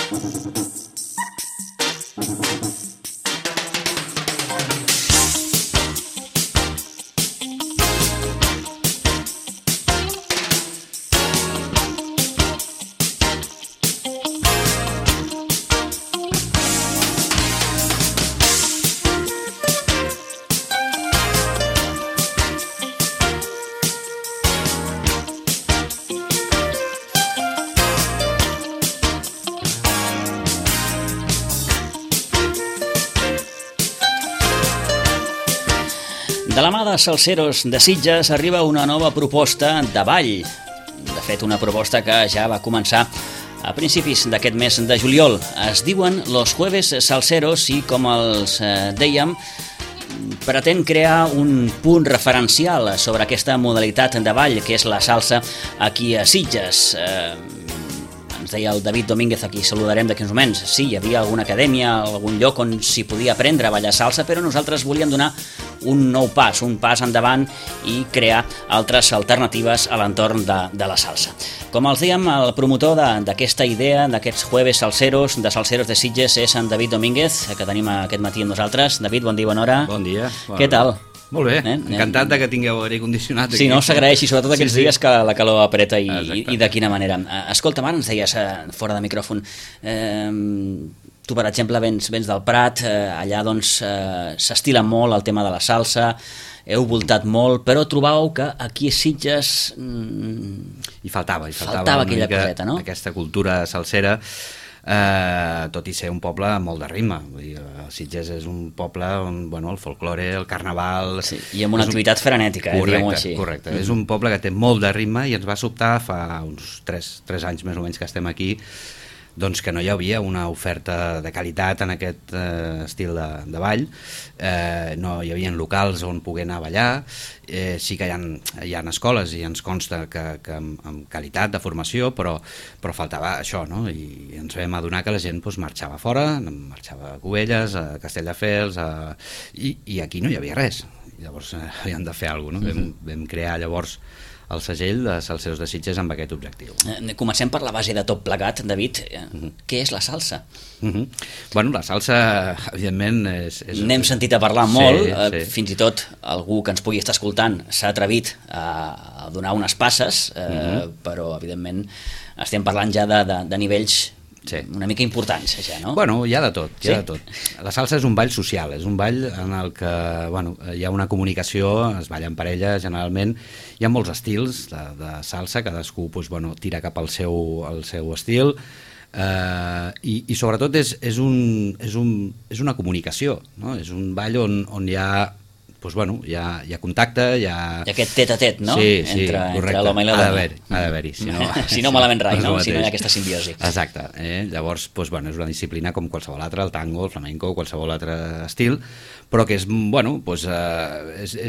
De la mà de Salseros de Sitges arriba una nova proposta de ball. De fet, una proposta que ja va començar a principis d'aquest mes de juliol. Es diuen Los Jueves Salseros i, com els dèiem, pretén crear un punt referencial sobre aquesta modalitat de ball, que és la salsa aquí a Sitges. Ens deia el David Domínguez, a qui saludarem d'aquí uns moments. Sí, hi havia alguna acadèmia, algun lloc on s'hi podia aprendre a ballar salsa, però nosaltres volíem donar un nou pas, un pas endavant i crear altres alternatives a l'entorn de la salsa. Com els dèiem, el promotor d'aquesta idea, d'aquests Jueves Salseros, de Salseros de Sitges, és en David Domínguez, que tenim aquest matí amb nosaltres. David, bon dia, bona hora. Bon dia. Què tal? Molt bé, encantat que tingueu aire condicionat. Sí, no, s'agraeix, i sobretot aquests dies que la calor apreta i de quina manera. Escolta, ara ens deies fora de micròfon, tu, per exemple, vens del Prat, allà doncs s'estila molt el tema de la salsa, heu voltat molt, però trobàveu que aquí a Sitges hi faltava aquella coseta, no? Aquesta cultura salsera, tot i ser un poble amb molt de ritme. Vull dir, Sitges és un poble on el folklore, el carnaval... Sí, i amb una activitat frenètica, diguem-ho així. Correcte, és un poble que té molt de ritme i ens va sobtar fa uns 3 anys més o menys que estem aquí, doncs que no hi havia una oferta de qualitat en aquest estil de ball, no hi havia locals on poder anar a ballar, sí que hi ha escoles i ens consta que amb qualitat de formació, però faltava això, no? I ens vam adonar que la gent marxava fora, marxava a Cubelles, a Castelldefels, i aquí no hi havia res. Llavors havíem de fer alguna cosa, no? Vam crear llavors el segell de Salseros de Sitges amb aquest objectiu. Comencem per la base de tot plegat, David. Què és la salsa? Bueno, la salsa, evidentment... N'hem sentit a parlar molt, fins i tot algú que ens pugui estar escoltant s'ha atrevit a donar unes passes, però evidentment estem parlant ja de nivells una mica importants, ja, no? Bueno, hi ha de tot, hi ha de tot. La salsa és un ball social, és un ball en el que hi ha una comunicació, es balla en parella generalment, hi ha molts estils de salsa, cadascú tira cap al seu estil, i sobretot és una comunicació, no? És un ball on hi ha hi ha contacte, hi ha... I aquest tet-a-tet, no? Sí, entre l'home i la dona. Ha d'haver-hi. Si no malament rai, no? Si no hi ha aquesta simbiosi. Exacte. Llavors, és una disciplina com qualsevol altra, el tango, el flamenco, qualsevol altre estil, però que és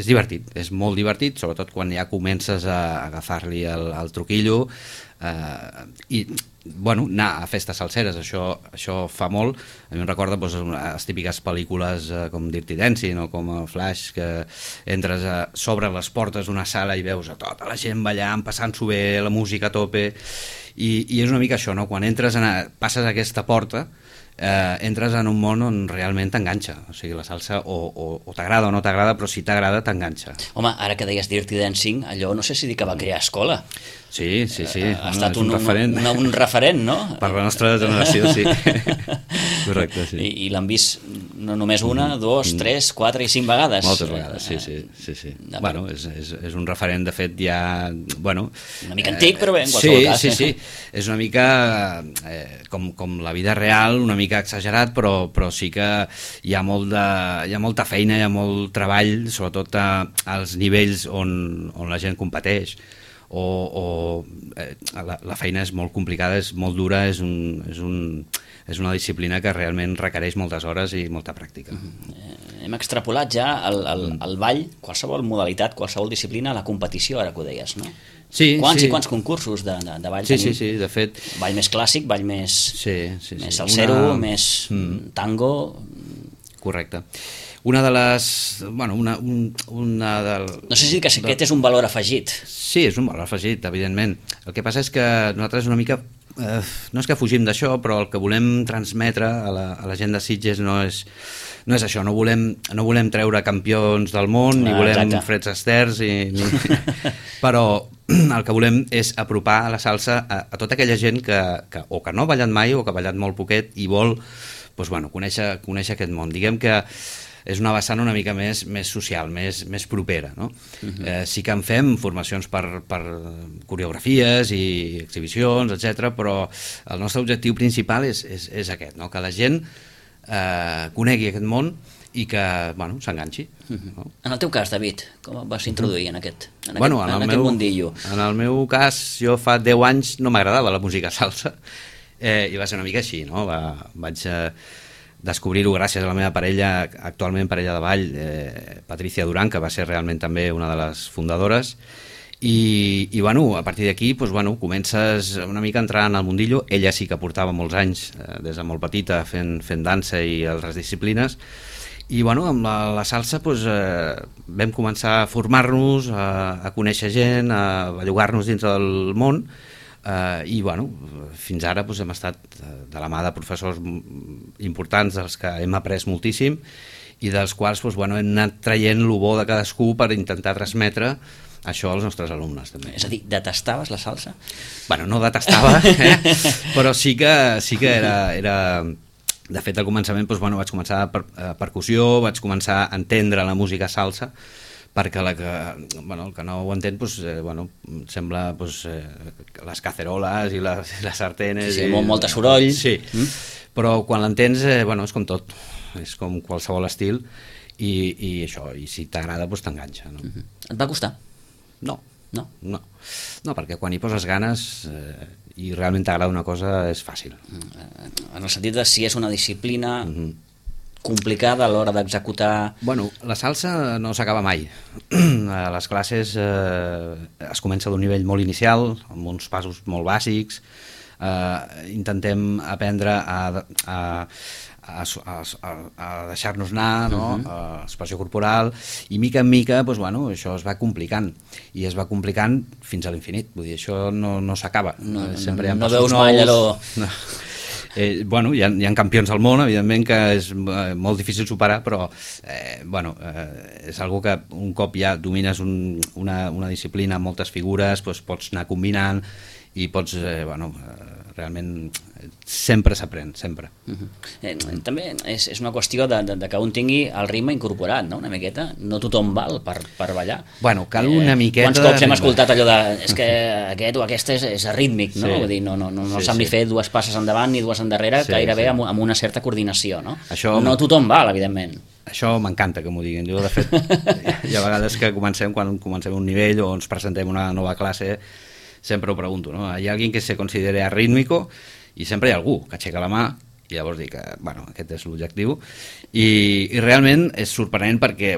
divertit, és molt divertit, sobretot quan ja comences a agafar-li el truquillo, i anar a festes salseres, això fa molt. A mi em recorda les típiques pel·lícules com Dirty Dancing o com Flash, que entres sobre les portes d'una sala i veus a tota la gent ballant, passant-s'ho bé, la música a tope, i és una mica això, no? Quan passes aquesta porta, entres en un món on realment t'enganxa. O sigui, la salsa o t'agrada o no t'agrada, però si t'agrada t'enganxa. Home, ara que deies Dirty Dancing, allò no sé si dir que va crear escola. Sí. Ha estat un referent, no? Per la nostra generació, sí. Correcte, sí. I l'han vist no només una, 2, 3, 4 i 5 vegades. Moltes vegades, sí. Bueno, és un referent, de fet, ja... Una mica antic, però bé, en qualsevol cas. Sí. És una mica com la vida real, una mica exagerat, però sí que hi ha molta feina, hi ha molt treball, sobretot als nivells on la gent competeix. La feina és molt complicada, és molt dura, és una disciplina que realment requereix moltes hores i molta pràctica. Hem extrapolat ja el ball, qualsevol modalitat, qualsevol disciplina, a la competició, ara que ho deies, no? Sí, quants i quants concursos de ball tenim? Sí, de fet... Ball més clàssic, ball més salsero, més tango... Correcte. Una de les... No sé si aquest és un valor afegit. Sí, és un valor afegit, evidentment. El que passa és que nosaltres una mica no és que fugim d'això, però el que volem transmetre a la gent de Sitges no és això, no volem treure campions del món, ni volem Freds Asters, però el que volem és apropar a la salsa a tota aquella gent que o que no ha ballat mai o que ha ballat molt poquet i vol conèixer aquest món. Diguem que és una vessant una mica més social, més propera, no? Sí que en fem formacions per coreografies i exhibicions, etc, però el nostre objectiu principal és aquest, no? Que la gent conegui aquest món i que s'enganxi. No? En el teu cas, David, com et vas introduir en aquest mundillo? En el meu cas, jo fa 10 anys no m'agradava la música salsa i va ser una mica així, no? Vaig descobrir-ho gràcies a la meva parella, actualment parella de ball, Patricia Duran, que va ser realment també una de les fundadores, i a partir d'aquí comences una mica a entrar en el mundillo. Ella sí que portava molts anys, des de molt petita, fent dansa i altres disciplines, i amb la salsa vam començar a formar-nos, a conèixer gent, a bellugar-nos dins del món, i fins ara hem estat de la mà de professors importants dels que hem après moltíssim i dels quals hem anat traient el bo de cadascú per intentar transmetre això als nostres alumnes també. És a dir, detestaves la salsa? No detestava, però sí que era... De fet, al començament vaig començar per percussió, vaig començar a entendre la música salsa, perquè el que no ho entén sembla les caceroles i les sartenes, molt de soroll, però quan l'entens és com tot, és com qualsevol estil i això, i si t'agrada t'enganxa. Et va costar? No, perquè quan hi poses ganes i realment t'agrada una cosa és fàcil. En el sentit de si és una disciplina complicada a l'hora d'executar... La salsa no s'acaba mai. A les classes es comença d'un nivell molt inicial, amb uns passos molt bàsics, intentem aprendre a deixar-nos anar, no? Expressió corporal, i mica en mica això es va complicant, i es va complicant fins a l'infinit. Vull dir, això no s'acaba. No veus mai allò... Hi ha campions al món, evidentment, que és molt difícil superar, però és algo que un cop ja domines una disciplina amb moltes figures, pots anar combinant i pots, realment sempre s'aprèn, sempre. També és una qüestió de que un tingui el ritme incorporat, no? Una miqueta. No tothom val per ballar. Cal una miqueta... Quants cops hem escoltat allò de és que aquest o aquest és arrítmic, no? Vull dir, no sembli fer dues passes endavant ni dues endarrere, gairebé amb una certa coordinació, no? No tothom val, evidentment. Això m'encanta que m'ho diguin. Jo, de fet, hi ha vegades que quan comencem un nivell o ens presentem una nova classe, sempre ho pregunto, ¿no? Hi ha algú que se considere arrítmico i sempre hi ha algú que aixeca la mà i llavors dic que, aquest és l'objectiu i realment és sorprenent perquè,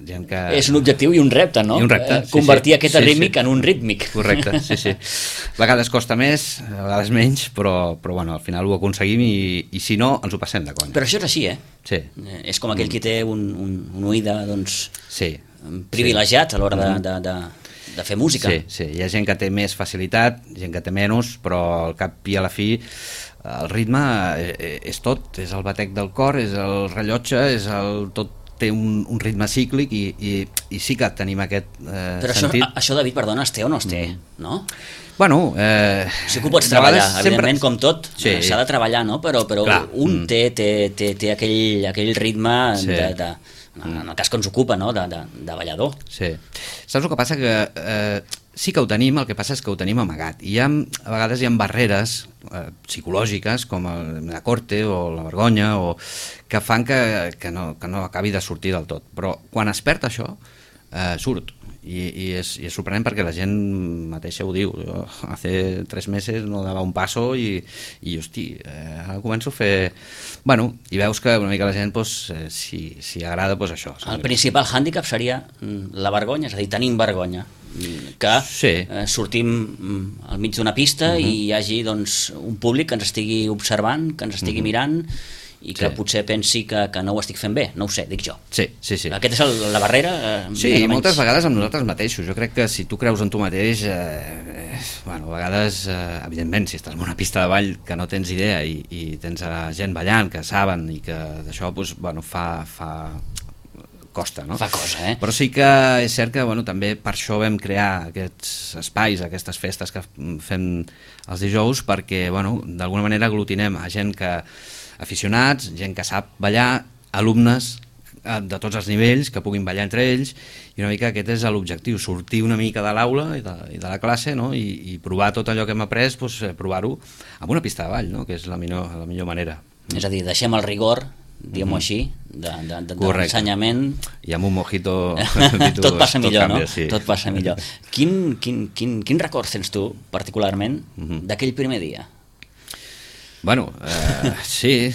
gent que... És un objectiu i un repte, no? I un repte, convertir aquest arrítmic en un rítmic. Correcte, sí. A vegades costa més, a vegades menys, però al final ho aconseguim i si no, ens ho passem de conya. Però això és així, Sí. És com aquell que té un oïda, sí, privilegiat a l'hora de fer música. Sí, hi ha gent que té més facilitat, gent que té menys, però al cap i a la fi el ritme és tot, és el batec del cor, és el rellotge, tot té un ritme cíclic i sí que tenim aquest sentit. Però això, David, perdona, es té o no es té, no? Sí que ho pots treballar, evidentment, com tot, s'ha de treballar, no? Però un té aquell ritme en el cas que ens ocupa, no? de ballador. Sí. Saps el que passa? Que sí que ho tenim, el que passa és que ho tenim amagat. I a vegades hi ha barreres psicològiques, com la corte o la vergonya, que fan que no acabi de sortir del tot. Però quan es perd això, surt. I és sorprenent perquè la gent mateixa ho diu. Jo hace 3 meses no dava un passo i hosti, ara començo a fer... i veus que una mica la gent, si agrada, això. El principal hàndicap seria la vergonya, és a dir, tenim vergonya. Que sortim al mig d'una pista i hi hagi un públic que ens estigui observant, que ens estigui mirant i que potser pensi que no ho estic fent bé, no ho sé, dic jo. Sí. Aquesta és la barrera? Sí, i moltes vegades amb nosaltres mateixos. Jo crec que si tu creus en tu mateix, a vegades, evidentment, si estàs en una pista de ball que no tens idea i tens gent ballant que saben i que d'això costa, no? Fa cosa, Però sí que és cert que també per això vam crear aquests espais, aquestes festes que fem els dijous, perquè d'alguna manera aglutinem a gent aficionats, gent que sap ballar, alumnes de tots els nivells que puguin ballar entre ells, i una mica aquest és l'objectiu, sortir una mica de l'aula i de la classe, no? I provar tot allò que hem après, provar-ho amb una pista de ball, no? Que és la millor manera. És a dir, deixem el rigor, diguem-ho així, de l'ensenyament, i amb un mojito tot passa millor, canvia, no? Sí. Tot passa millor. Quin record tens tu particularment d'aquell primer dia? Sí,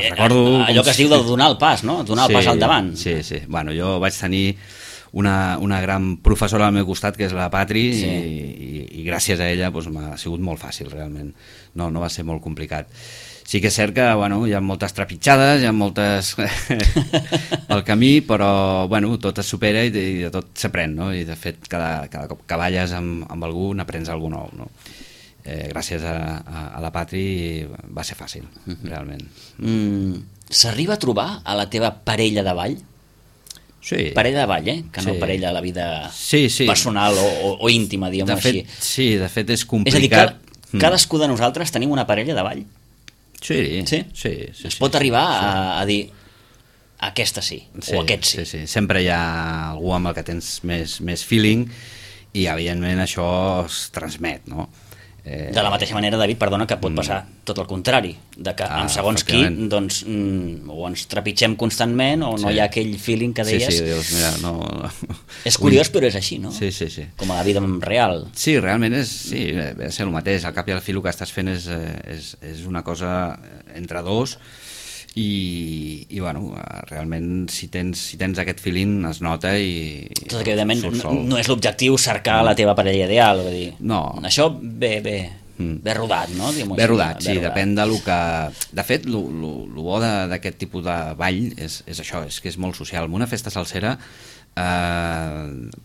recordo... Allò que es diu de donar el pas, no? Donar el pas al davant. Sí. Jo vaig tenir una gran professora al meu costat, que és la Patri, i gràcies a ella m'ha sigut molt fàcil, realment. No va ser molt complicat. Sí que és cert que hi ha moltes trepitjades, hi ha moltes pel camí, però tot es supera i de tot s'aprèn, no? I de fet cada cop que balles amb algú n'aprens alguna nou, no? Gràcies a la Patri va ser fàcil, realment. S'arriba a trobar a la teva parella de ball? Sí. Parella de ball, que no parella a la vida personal o íntima, diguem-ho així. Sí, de fet és complicat. És a dir, que cadascú de nosaltres tenim una parella de ball? Sí. Es pot arribar a dir aquesta sí, o aquest sí. Sí. Sempre hi ha algú amb el que tens més feeling i evidentment això es transmet, no? De la mateixa manera, David, perdona, que pot passar tot el contrari, de que amb segons qui doncs, o ens trepitgem constantment o no hi ha aquell feeling que deies. Sí, dius, mira, no... És curiós, però és així, no? Sí. Com a la vida real. Sí, realment és ser el mateix. Al cap i al fi el que estàs fent és una cosa entre dos i realment si tens aquest feeling es nota i tot que evidentment no és l'objectiu cercar la teva parella ideal, vull dir, no. Això ve rodat, no? Ve rodat, sí, depèn de lo que... De fet, lo bo d'aquest tipus de ball és això, és que és molt social. En una festa salsera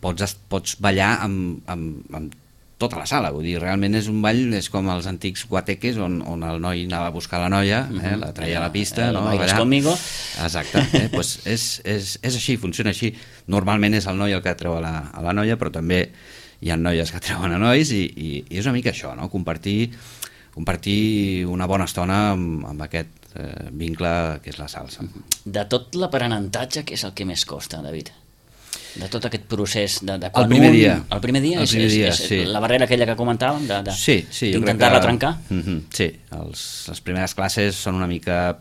pots ballar amb tota la sala, vull dir, realment és un ball, és com els antics guateques on el noi anava a buscar la noia, la traia a la pista, no? Bailes conmigo. Exacte, doncs és així, funciona així. Normalment és el noi el que treu a la noia, però també hi ha noies que treuen a nois i és una mica això, no? Compartir una bona estona amb aquest vincle que és la salsa. De tot l'aprenentatge, què és el que més costa, David? De tot aquest procés de el primer dia. El primer dia és la barrera aquella que comentàvem d'intentar-la trencar? Sí, les primeres classes són una mica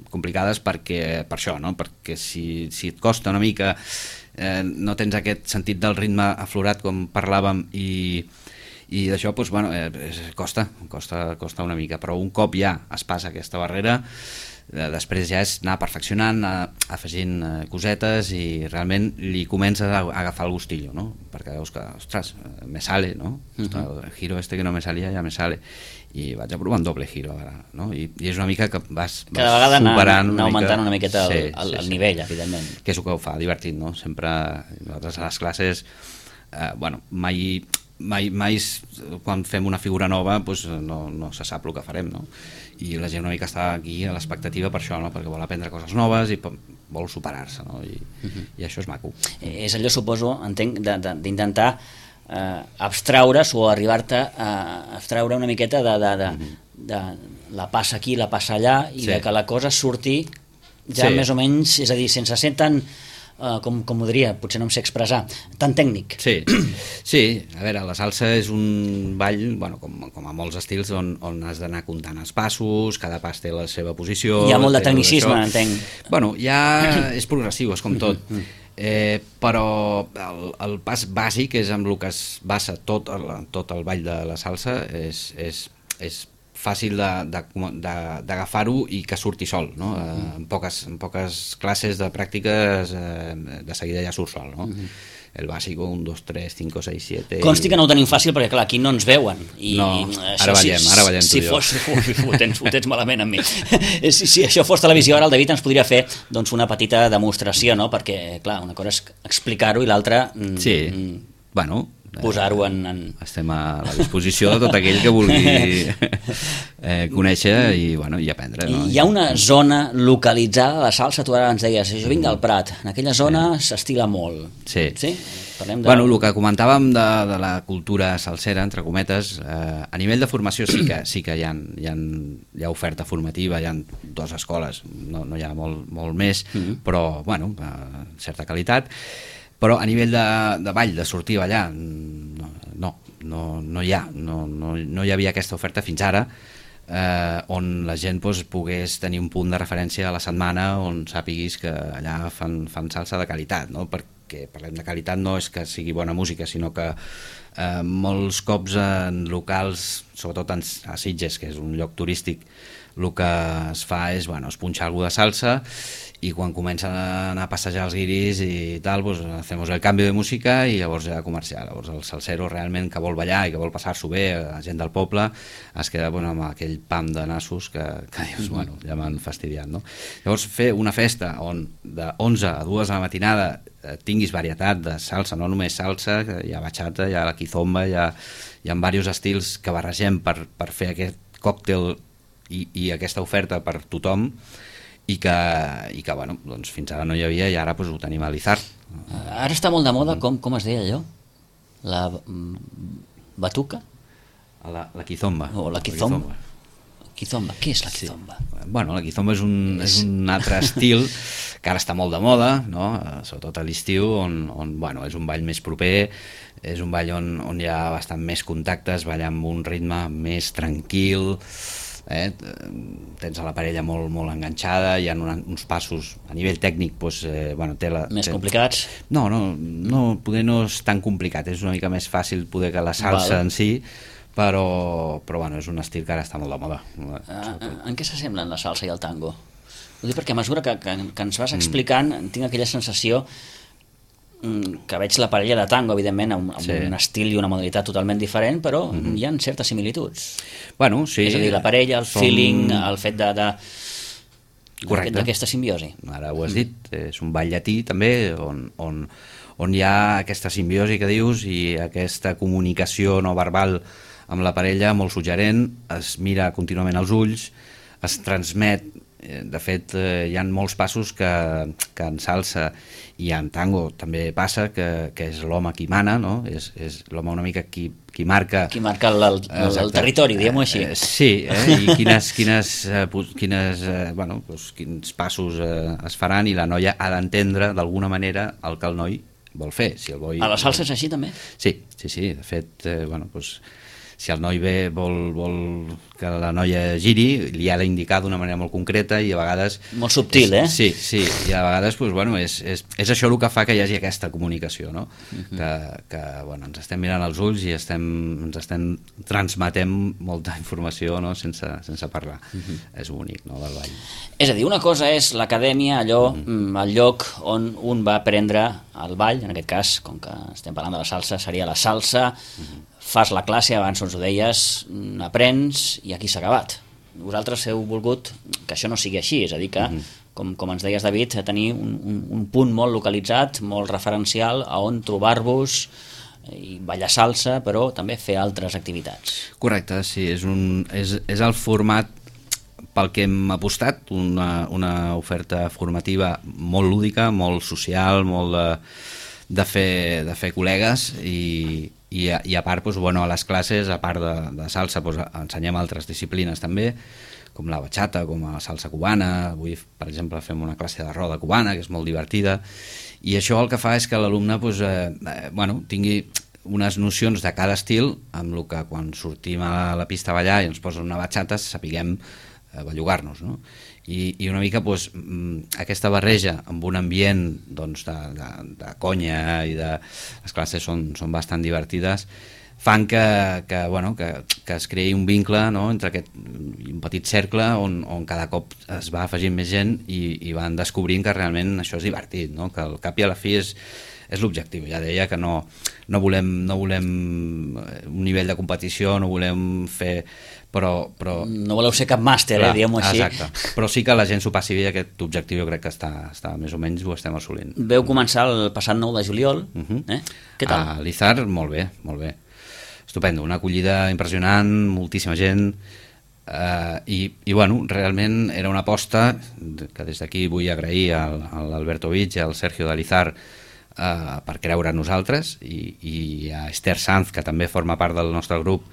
complicades per això, no? Perquè si et costa una mica, no tens aquest sentit del ritme aflorat com parlàvem i d'això costa una mica, però un cop ja es passa aquesta barrera, després ja és anar perfeccionant, anar afegint cosetes i realment li comences a agafar el gustillo, no? Perquè veus que, ostres, me sale, no? El giro que no me salia ja me sale i vaig a provar un doble giro ara, no? I és una mica que vas cada vegada superant anar augmentant una miqueta el nivell, evidentment, que és el que ho fa divertit, no? Sempre nosaltres a les classes mai quan fem una figura nova no se sap el que farem, no? I la gent una mica està aquí a l'expectativa per això, no? Perquè vol aprendre coses noves i vol superar-se, no? I això és maco. És allò, suposo, entenc, d'intentar abstraure's o arribar-te a abstraure una miqueta de la passa aquí, la passa allà i de que la cosa surti ja més o menys, és a dir, sense ser tan com ho diria, potser no em sé expressar, tan tècnic. Sí, a veure, la salsa és un ball, com a molts estils, on has d'anar comptant els passos, cada pas té la seva posició... Hi ha molt de tecnicisme, entenc. Ja és progressiu, és com tot. Però el pas bàsic és amb el que es basa tot el ball de la salsa, és fàcil d'agafar-ho i que surti sol, no? En poques classes de pràctiques de seguida ja surt sol, no? el bàsico, 1, 2, 3, 5, 6, 7... Consti que no ho tenim fàcil perquè, clar, aquí no ens veuen. Ara ballem tu i jo. Ho tens malament amb mi. Si això fos televisió, ara el David ens podria fer doncs, una petita demostració, no? Perquè, clar, una cosa és explicar-ho i l'altra... posar-ho en... Estem a la disposició de tot aquell que vulgui conèixer i aprendre. No? Hi ha una zona localitzada de salsa, tu ara ens deies, jo vinc del Prat, en aquella zona s'estila molt. Sí? Parlem Bueno, el que comentàvem de la cultura salsera, entre cometes, a nivell de formació sí que hi ha oferta formativa, hi ha 2 escoles, no hi ha molt més, però, certa qualitat. Però a nivell de ball, de sortir a ballar, no hi havia aquesta oferta fins ara, on la gent pogués tenir un punt de referència a la setmana on sàpiguis que allà fan salsa de qualitat, no? Perquè parlem de qualitat no és que sigui bona música, sinó que molts cops en locals, sobretot a Sitges, que és un lloc turístic, el que es fa és punxar alguna de salsa i quan comencen a anar a passejar els guiris i tal, hacemos el canvi de música i llavors ja comercial. Llavors el salsero realment que vol ballar i que vol passar-s'ho bé, la gent del poble, es queda amb aquell pam de nassos que dius, ja m'han fastidiat, no? Llavors fer una festa on de 11 a 2 de la matinada tinguis varietat de salsa, no només salsa, hi ha bachata, hi ha la kizomba, hi ha diversos estils que barregem per fer aquest còctel i aquesta oferta per tothom i que doncs fins ara no hi havia i ara ho tenim a l'Izar. Ara està molt de moda, com es deia allò? La batuca? La kizomba. O la kizomba. Kizomba, què és la kizomba? La kizomba és un altre estil que ara està molt de moda, no? Sobretot a l'estiu, on és un ball més proper, és un ball on hi ha bastant més contactes, balla amb un ritme més tranquil, tens a la parella molt enganxada, hi ha uns passos a nivell tècnic més complicats? No, poder no és tan complicat, és una mica més fàcil poder que la salsa en si, però és un estil que ara està molt de moda. En què s'assemblen la salsa i el tango? Ho dic perquè a mesura que ens vas explicant tinc aquella sensació que veig la parella de tango, evidentment, amb un estil i una modalitat totalment diferent, però hi ha certes similituds. Sí. És a dir, la parella, el feeling, el fet d'aquesta simbiosi. Ara ho has dit, és un ball llatí també, on hi ha aquesta simbiosi que dius i aquesta comunicació no verbal amb la parella molt suggerent, es mira contínuament als ulls, es transmet. De fet, hi ha molts passos que en salsa i en tango també passa, que és l'home qui mana, no? És l'home una mica qui marca... Qui marca el territori, diguem-ho així. Sí, i quins passos es faran i la noia ha d'entendre d'alguna manera el que el noi vol fer. A la salsa és així també? Sí, de fet, si el noi ve vol que la noia giri, li ha d'indicar d'una manera molt concreta i a vegades... Molt subtil, Sí, i a vegades és això el que fa que hi hagi aquesta comunicació, no? Que ens estem mirant als ulls i ens estem transmetent molta informació, no? sense parlar. És bonic, no?, del ball. És a dir, una cosa és l'acadèmia, el lloc on un va aprendre el ball, en aquest cas, com que estem parlant de la salsa, seria la salsa, fas la classe, abans ens ho deies, aprens i aquí s'ha acabat. Vosaltres heu volgut que això no sigui així, és a dir que, com ens deies, David, tenir un punt molt localitzat, molt referencial, a on trobar-vos i ballar salsa, però també fer altres activitats. Correcte, sí, és el format pel que hem apostat, una oferta formativa molt lúdica, molt social, molt de fer col·legues i a part, a les classes, a part de salsa, ensenyem altres disciplines també, com la bachata, com la salsa cubana. Avui, per exemple, fem una classe de roda cubana, que és molt divertida, i això el que fa és que l'alumne tingui unes nocions de cada estil, amb el que quan sortim a la pista a ballar i ens posen una bachata sapiguem bellugar-nos, no? I una mica aquesta barreja amb un ambient de conya i les classes són bastant divertides, fan que es creï un vincle, no?, entre un petit cercle on cada cop es va afegint més gent i van descobrint que realment això és divertit, no?, que al cap i a la fi és l'objectiu. Ja deia que no volem un nivell de competició, no volem fer... Però no voleu ser cap màster, diguem-ho així. Exacte, però sí que la gent s'ho passi bé, aquest objectiu jo crec que està més o menys ho estem assolint. Veu començar el passat 9 de juliol, Què tal? A l'Izar, molt bé, estupendo, una acollida impressionant, moltíssima gent, i bueno, realment era una aposta que des d'aquí vull agrair a l'Alberto Vich i al Sergio de l'Izar per creure en nosaltres, i a Esther Sanz, que també forma part del nostre grup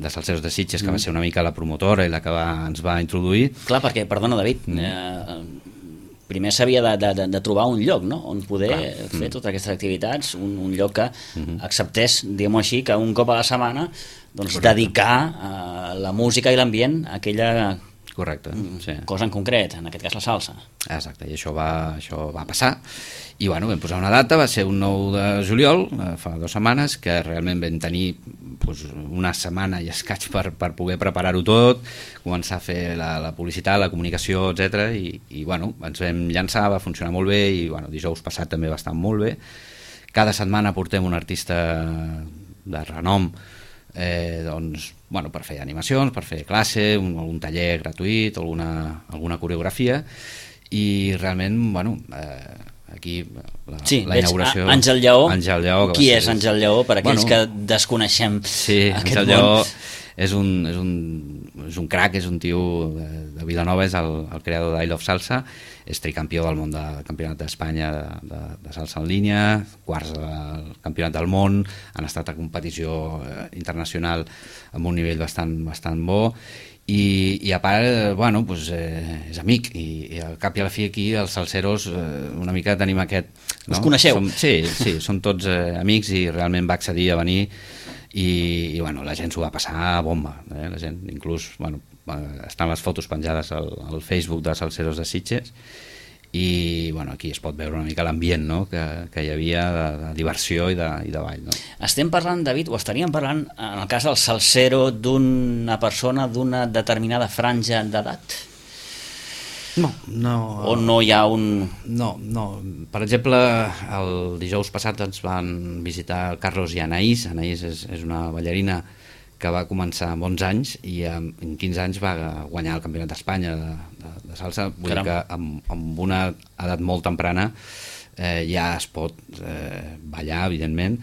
de Salseros de Sitges, que va ser una mica la promotora i la que ens va introduir. Clar, perquè, perdona David, primer s'havia de trobar un lloc, no?, on poder fer totes aquestes activitats, un lloc que acceptés, diguem-ho així, que un cop a la setmana dedicar la música i l'ambient a aquella cosa en concret, en aquest cas la salsa. Exacte, i això va passar, i bueno, vam posar una data, va ser un 9 de juliol, fa 2 setmanes, que realment vam tenir una setmana i escaig per poder preparar-ho tot, començar a fer la publicitat, la comunicació, etc. I bueno, ens vam llançar, va funcionar molt bé, i bueno, dijous passat també va estar molt bé. Cada setmana portem un artista de renom, doncs, bueno, per fer animacions, per fer classe, algun taller gratuït, alguna coreografia, i realment, bueno, aquí la inauguració... Àngel Lleó. Qui és Àngel Lleó, per aquells que desconeixem aquest món? Àngel Lleó és un crac, és un tio de Vilanova, és el creador d'I Love Salsa, és tricampió del món del Campionat d'Espanya de salsa en línia, quarts del Campionat del món, han estat a competició internacional amb un nivell bastant bo, i a part, bueno, doncs, és amic, i al cap i a la fi aquí els salseros una mica tenim aquest... Us coneixeu? Sí, som tots amics, i realment va accedir a venir, i bueno, la gent s'ho va passar a bomba, la gent, inclús, bueno, estan les fotos penjades al Facebook de Salseros de Sitges, i bueno, aquí es pot veure una mica l'ambient, no?, que hi havia de diversió i de ball, no? Estem parlant, David, o estaríem parlant, en el cas del salsero, d'una persona d'una determinada franja d'edat? No. O no hi ha un... No. Per exemple, el dijous passat ens van visitar Carlos i Anaïs. Anaïs és una ballarina que va començar amb 11 anys i en 15 anys va guanyar el Campionat d'Espanya de salsa. Vull dir que amb una edat molt temprana ja es pot ballar, evidentment,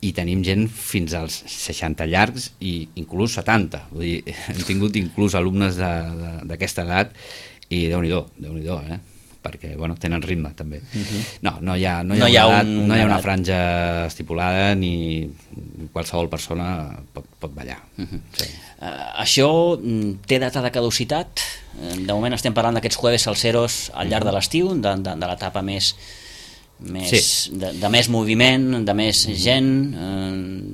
i tenim gent fins als 60 llargs i inclús 70. Vull dir, hem tingut inclús alumnes d'aquesta edat, i Déu-n'hi-do, perquè bueno, tenen ritme també. No hi ha una franja estipulada, ni qualsevol persona pot ballar. Això té data de caducitat? De moment estem parlant d'aquests jueves salseros al llarg de l'estiu, de l'etapa de més moviment, de més gent,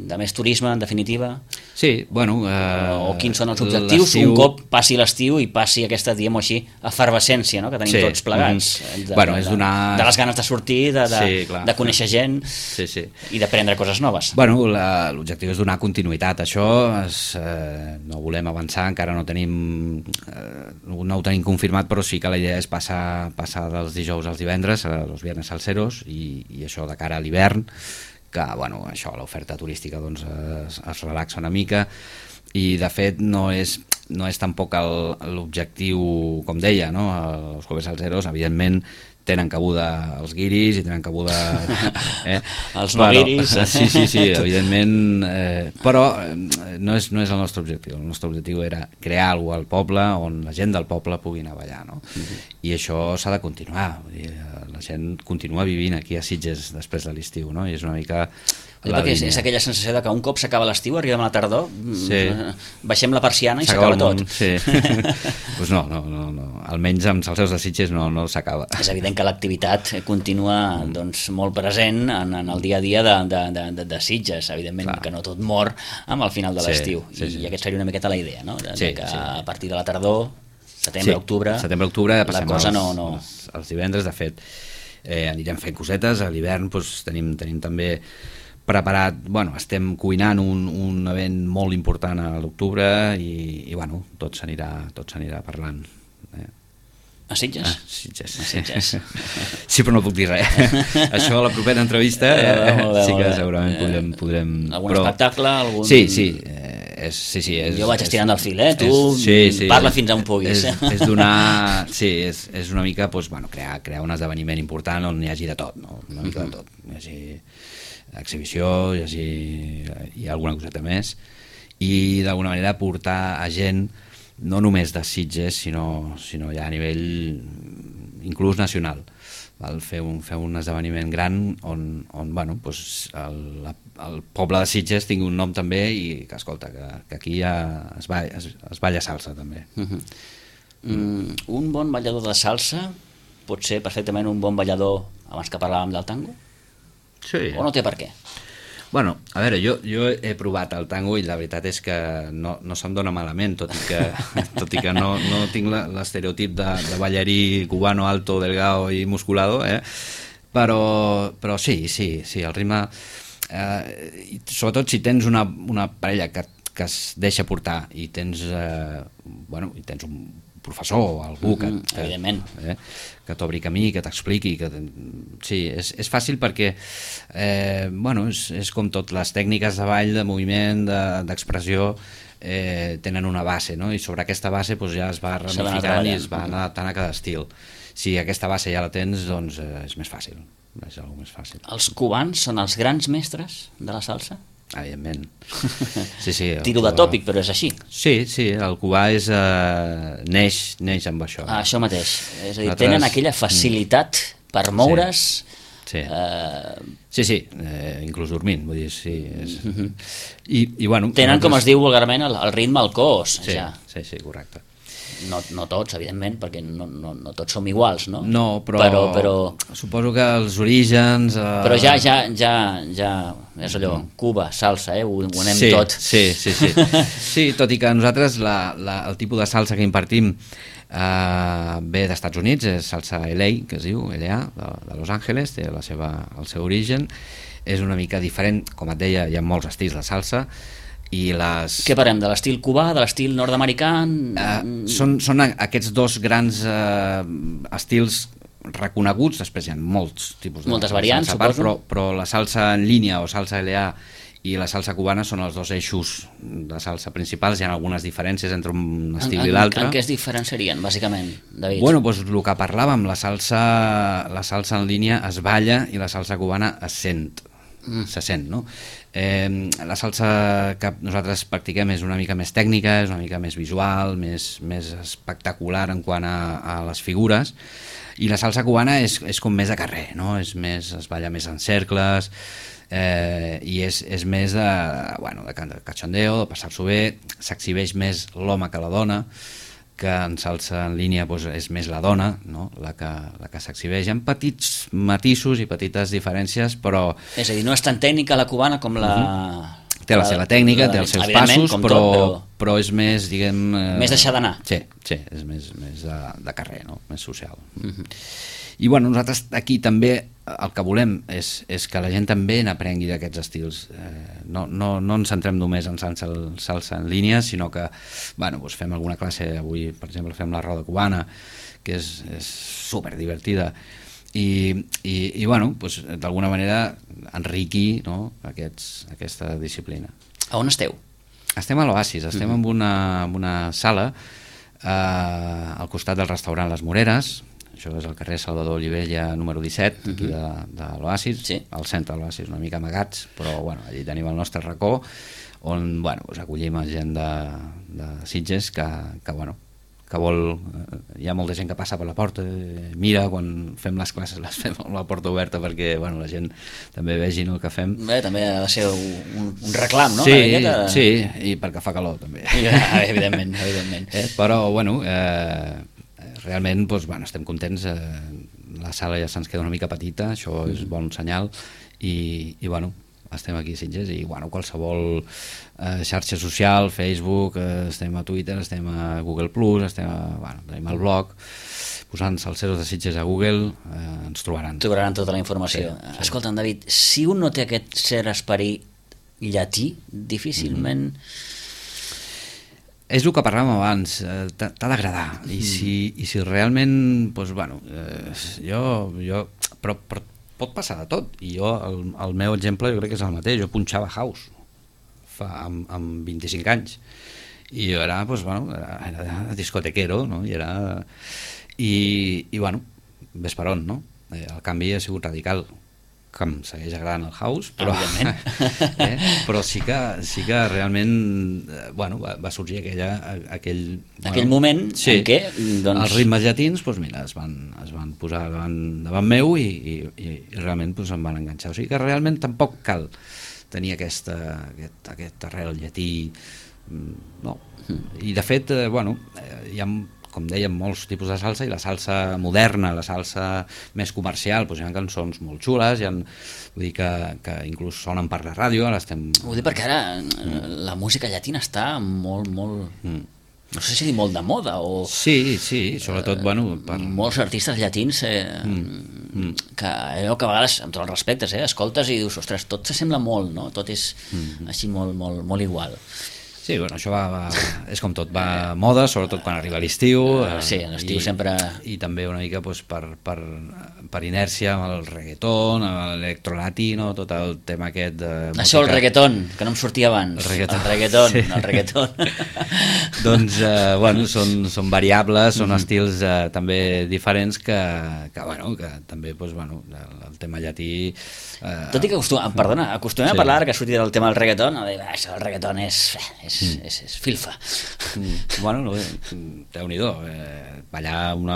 de més turisme, en definitiva? Sí, bueno... O quins són els objectius un cop passi l'estiu i passi aquesta, diguem-ho així, efervescència, no?, que tenim tots plegats. De les ganes de sortir, de conèixer gent i d'aprendre coses noves. Bueno, l'objectiu és donar continuïtat a això. No volem avançar, encara no ho tenim confirmat, però sí que la idea és passar dels dijous als divendres, els viernes salseros, i això de cara a l'hivern, que bueno, això, l'oferta turística doncs, es relaxa una mica, i de fet no és tampoc l'objectiu, com deia, no? Els jueves salseros evidentment tenen cabuda els guiris i tenen cabuda els no guiris. Sí, evidentment, però no és el nostre objectiu. El nostre objectiu era crear alguna cosa al poble on la gent del poble pugui anar a ballar, no? I això s'ha de continuar. La gent continua vivint aquí a Sitges després de l'estiu, no? I és una mica... Perquè és aquella sensació de que un cop s'acaba l'estiu, arribem a la tardor, baixem la persiana i s'acaba tot. Sí. Pues no, almenys amb Salseros de Sitges no s'acaba. És evident que l'activitat continua molt present en el dia a dia de Sitges, evidentment que no tot mor amb el final de l'estiu, i aquesta seria una miqueta la idea, no? Que a partir de la tardor, setembre-octubre, la cosa no... Els divendres, de fet, anirem fent cosetes. A l'hivern tenim també preparat, bueno, estem cuinant un event molt important a l'octubre, i bueno, tot s'anirà parlant. A Sitges? Sitges. A Sitges. Sí, però no puc dir res. Això a la propera entrevista sí que segurament podrem... Algun espectacle? Sí. Jo vaig estirant del fil, tu parla fins on puguis. És donar... Sí, és una mica crear un esdeveniment important on hi hagi de tot, no? Una mica de tot. Hi hagi exhibició, hi hagi alguna coseta més, i d'alguna manera portar a gent no només de Sitges, sinó ja a nivell inclús nacional. Fer un esdeveniment gran on el poble de Sitges tingui un nom també i que, escolta, que aquí ja es balla salsa també. Un bon ballador de salsa pot ser perfectament un bon ballador, abans que parlàvem del tango? Sí. O no té per què? Bueno, a veure, jo he provat el tango i la veritat és que no se'm dona malament, tot i que no tinc l'estereotip de ballarí cubano alto, delgado i musculado, però sí, el ritme, sobretot si tens una parella que es deixa portar i tens un professor o algú que t'obri camí, que t'expliqui, sí, és fàcil perquè és com tot, les tècniques de ball, de moviment, d'expressió tenen una base, no? I sobre aquesta base ja es va ramificant i es va adaptant a cada estil. Si aquesta base ja la tens, doncs és més fàcil, és alguna més fàcil. Els cubans són els grans mestres de la salsa? Evidentment. Sí, tiro de tòpic, però és així. Sí, el cubà neix amb això. Això mateix, és a dir, tenen aquella facilitat per moure's. Sí, inclús dormint, vull dir, sí. Tenen, com es diu vulgarment, el ritme al cos. Sí, correcte. No tots, evidentment, perquè no tots som iguals, no? No, però suposo que els orígens... Però ja és allò, Cuba, salsa, ho anem tot. Sí. Sí, tot i que nosaltres el tipus de salsa que impartim ve d'Estats Units, és salsa LA, que es diu, LA, de Los Angeles, té el seu origen, és una mica diferent, com et deia, hi ha molts estils de salsa, i Què parlem, de l'estil cubà, de l'estil nord-americà? Són aquests dos grans estils reconeguts, després hi ha molts tipus de moltes variants, suposo. Però la salsa en línia o salsa LA i la salsa cubana són els dos eixos de salsa principals. Hi ha algunes diferències entre un estil i l'altre. En què es diferenciarien, bàsicament, David? Bueno, doncs el que parlàvem, la salsa en línia es balla i la salsa cubana se sent, no? La salsa que nosaltres practiquem és una mica més tècnica, és una mica més visual, més espectacular en quant a les figures, i la salsa cubana és com més de carrer, no? Es balla més en cercles, i és més de cachondeo, de passar-s'ho bé, s'exhibeix més l'home que la dona, que en salsa en línia és més la dona, no? la que s'exhibeix, en petits matisos i petites diferències, però... És a dir, no és tan tècnica la cubana com la... Té la seva tècnica, té els seus passos, però és més, diguem... Més deixar d'anar. Sí, és més de carrer, no? Més social. I bueno, nosaltres aquí també el que volem és que la gent també n'aprengui d'aquests estils. No ens centrem només en salsa en línia, sinó que fem alguna classe, avui per exemple fem la roda cubana, que és super divertida, i d'alguna manera enriquir, no, aquesta disciplina. A on esteu? Estem a l'Oasis, estem en una sala al costat del restaurant Les Moreres. Això és el carrer Salvador Olivella número 17, aquí de l'Oasis, al centre de l'Oasis, una mica amagats, però allí tenim el nostre racó, on acollim gent de Sitges que vol... Hi ha molta gent que passa per la porta, mira, quan fem les classes les fem amb la porta oberta perquè la gent també vegi el que fem. També ha de ser un reclam, no? Sí, i perquè fa calor també. Evidentment. Però, realment estem contents, la sala ja se'ns queda una mica petita, això és bon senyal, i estem aquí a Sitges i qualsevol xarxa social, Facebook, estem a Twitter, estem a Google+, tenim el blog, posant Salseros de Sitges a Google ens trobaran. Trobaran tota la informació. Escolta'm, David, si un no té aquest cert esperit llatí, difícilment... És el que parlàvem abans, t'ha d'agradar, i si realment, doncs, bueno, però pot passar de tot, i jo, el meu exemple jo crec que és el mateix, jo punxava house amb 25 anys, i jo era, doncs, bueno, era discotequero, no? I bueno, ves per on, no? El canvi ha sigut radical, que em segueix agradant el house, però, però sí que realment bueno, va sorgir aquell moment en què doncs, els ritmes llatins doncs, mira, es van posar davant meu i realment doncs, em van enganxar, o sigui que realment tampoc cal tenir aquest arrel llatí, no. I de fet, bueno, hi ha, com dèiem, molts tipus de salsa, i la salsa moderna, la salsa més comercial, doncs hi ha cançons molt xules, vull dir que inclús sonen per la ràdio, ara estem... Ho dic perquè ara la música llatina està molt, no sé si dir molt de moda o... Sí, sobretot, bueno... Molts artistes llatins que allò que a vegades, amb tots els respectes, escoltes i dius, ostres, tot s'assembla molt, no? Tot és així molt igual. Sí, bueno, això és com tot, va a moda, sobretot quan arriba l'estiu. Sí, l'estiu sempre... I també una mica doncs, per inèrcia amb el reggaeton, amb l'electrolatino, tot el tema aquest de... Això, el reggaeton, que no em sortia abans. El reggaeton. Doncs, bueno, són variables, són estils també diferents que també, doncs, bueno, el tema llatí... Tot i que acostumem a parlar, que ha sortit el tema del reggaeton, el reggaeton és filfa. Bueno, Déu-n'hi-do, ballar un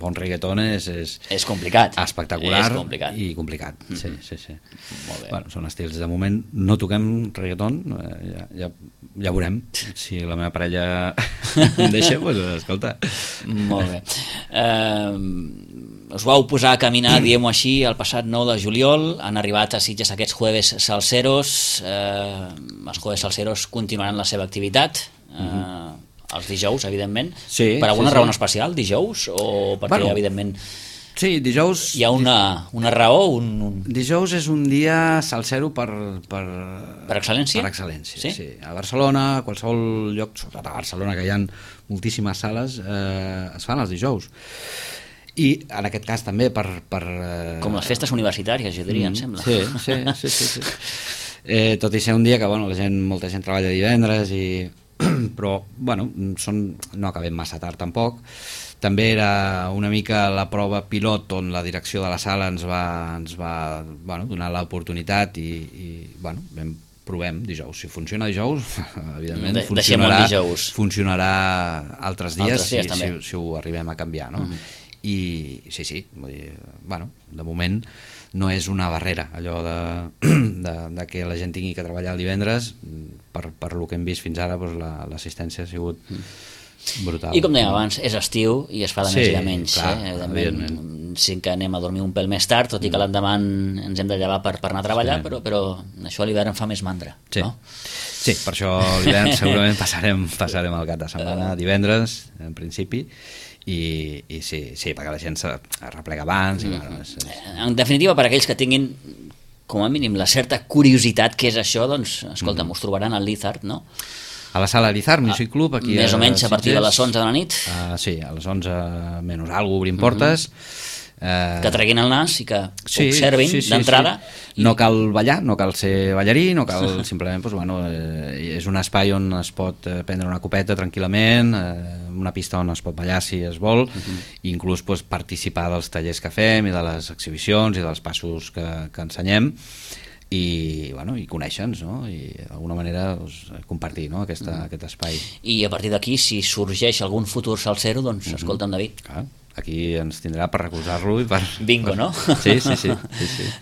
bon reggaeton és complicat, espectacular i complicat. Sí. Molt bé. Bueno, són estils, de moment no toquem reggaeton, ja veurem, si la meva parella em deixa, doncs escolta. Molt bé. Us vau posar a caminar, diguem-ho així, el passat 9 de juliol, han arribat a Sitges aquests jueves salseros, els jueves salseros continuaran la seva activitat, els dijous, evidentment, per alguna raó especial, dijous, o perquè, evidentment... Sí, dijous... Hi ha una raó? Dijous és un dia salsero per excel·lència? Per excel·lència, sí. A Barcelona, a qualsevol lloc, sobretot a Barcelona, que hi ha moltíssimes sales, es fan els dijous. I en aquest cas també per... Com les festes universitàries, jo diria, em sembla. Sí. Tot i ser un dia que molta gent treballa divendres, però bueno, no acabem massa tard tampoc. També era una mica la prova pilot on la direcció de la sala ens va donar l'oportunitat i provem dijous. Si funciona dijous, evidentment funcionarà altres dies si ho arribem a canviar, no? I sí, vull dir, de moment no és una barrera allò de que la gent tingui que treballar el divendres. Per lo que hem vist fins ara, l'assistència ha sigut brutal. I com dèiem abans, és estiu i es fa de més i de menys. Sí que anem a dormir un pèl més tard, tot i que l'endemà ens hem de llevar per anar a treballar, però això a l'hivern fa més mandra, no? Sí, per això a l'hivern segurament passarem el cap de setmana, divendres, en principi, i sí, perquè la gent es replega abans. En definitiva, per aquells que tinguin com a mínim la certa curiositat que és això, doncs, escolta, us trobaran al Lizard, no? A la sala Lizard Music Club, aquí més o menys a partir de les 11 de la nit. Sí, a les 11 menys alguna obrim portes. Que treguin el nas i que observin d'entrada. No cal ballar, no cal ser ballarí, no cal simplement, és un espai on es pot prendre una copeta tranquil·lament, una pista on es pot ballar si es vol, i inclús participar dels tallers que fem i de les exhibicions i dels passos que ensenyem, i conèixer-nos, no? I d'alguna manera compartir, no? aquest espai. I a partir d'aquí, si sorgeix algun futur salsero, doncs escolta'm, David, aquí ens tindrà per recolzar-lo i per... Bingo, no? Sí.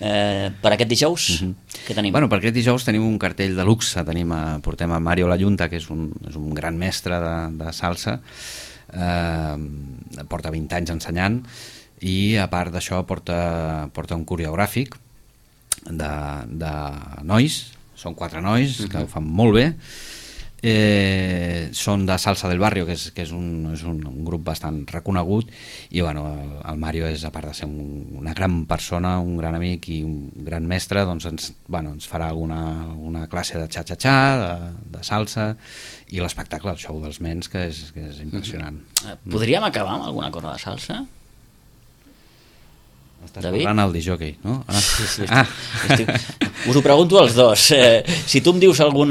Per aquest dijous, què tenim? Per aquest dijous tenim un cartell de luxe, portem a Mario Layunta, que és un gran mestre de salsa, porta 20 anys ensenyant, i a part d'això porta un coreogràfic de nois, són 4 nois que ho fan molt bé, són de Salsa del Barrio, que és un grup bastant reconegut, i bueno, el Mario és, a part de ser una gran persona, un gran amic i un gran mestre, doncs ens farà una classe de xa-xa-xa, de salsa, i l'espectacle, el show dels Mens, que és impressionant. Podríem acabar amb alguna cosa de salsa? Estàs parlant al disjockey, no? Sí. Us ho pregunto als dos. Si tu em dius algun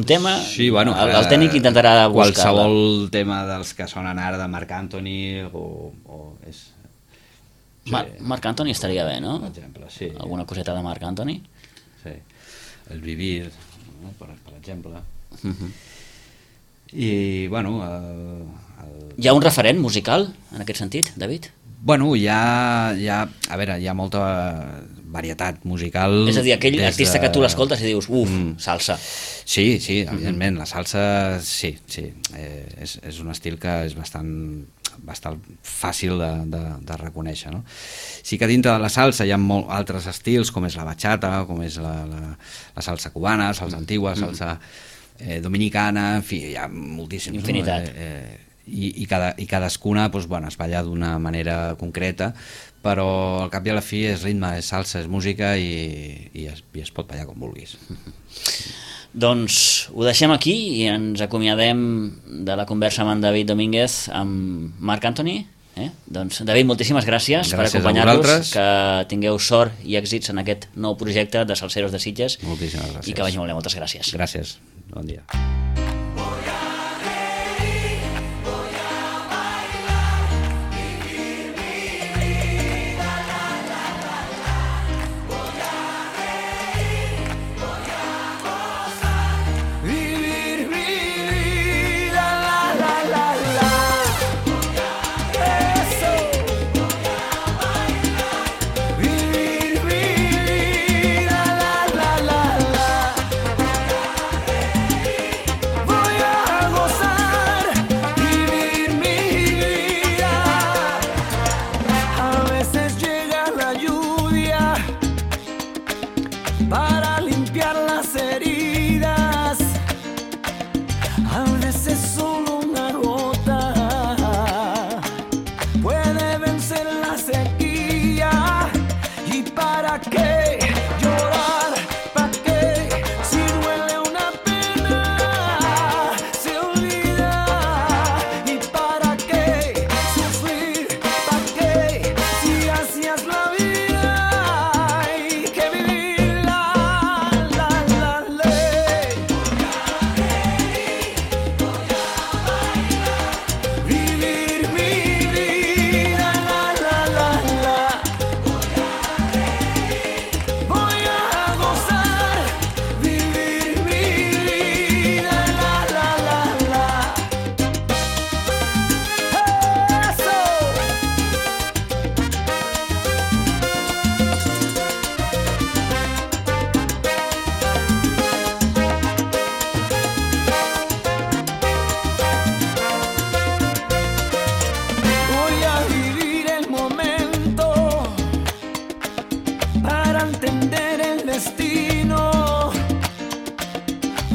tema, sí, bueno, el tècnic intentarà buscar-la. Qualsevol tema dels que sonen ara de Marc Anthony Marc Anthony estaria bé, no? Per exemple, sí. Alguna coseta de Marc Anthony? Sí. El Vivir, no? Per exemple. I, bueno... Hi ha un referent musical, en aquest sentit, David? Bueno, hi ha molta varietat musical. És a dir, aquell artista que tu l'escoltes i dius, salsa. Sí, evidentment, la salsa, sí. És un estil que és bastant fàcil de reconèixer, no? Sí que dintre de la salsa hi ha altres estils, com és la bachata, com és la salsa cubana, salsa antigua, salsa dominicana, en fi, hi ha moltíssims. Infinitat. I cadascuna es balla d'una manera concreta, però al cap i a la fi és ritme, és salsa, és música i es pot ballar com vulguis. Doncs ho deixem aquí i ens acomiadem de la conversa amb en David Domínguez, amb Marc Anthony. Doncs, David, moltíssimes gràcies per acompanyar-nos, que tingueu sort i èxits en aquest nou projecte de Salseros de Sitges. Moltíssimes gràcies. I que vagi molt bé, moltes gràcies. Gràcies, bon dia.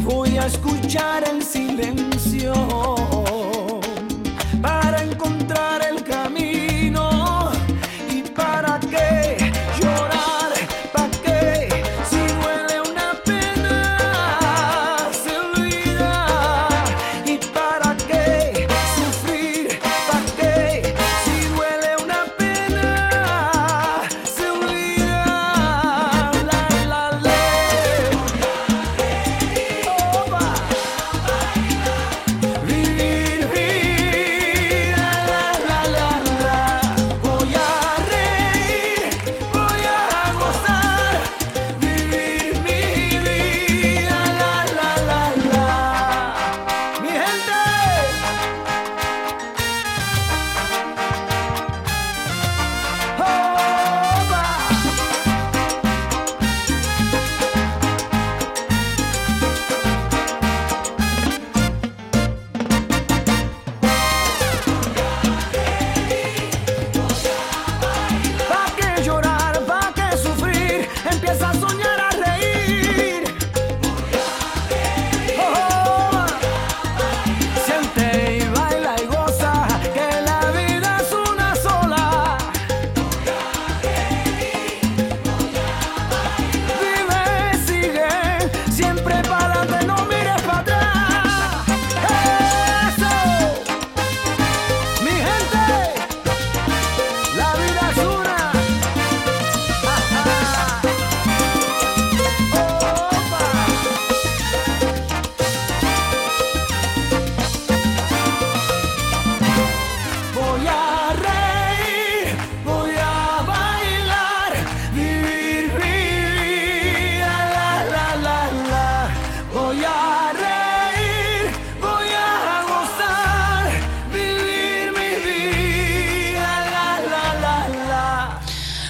Voy a escuchar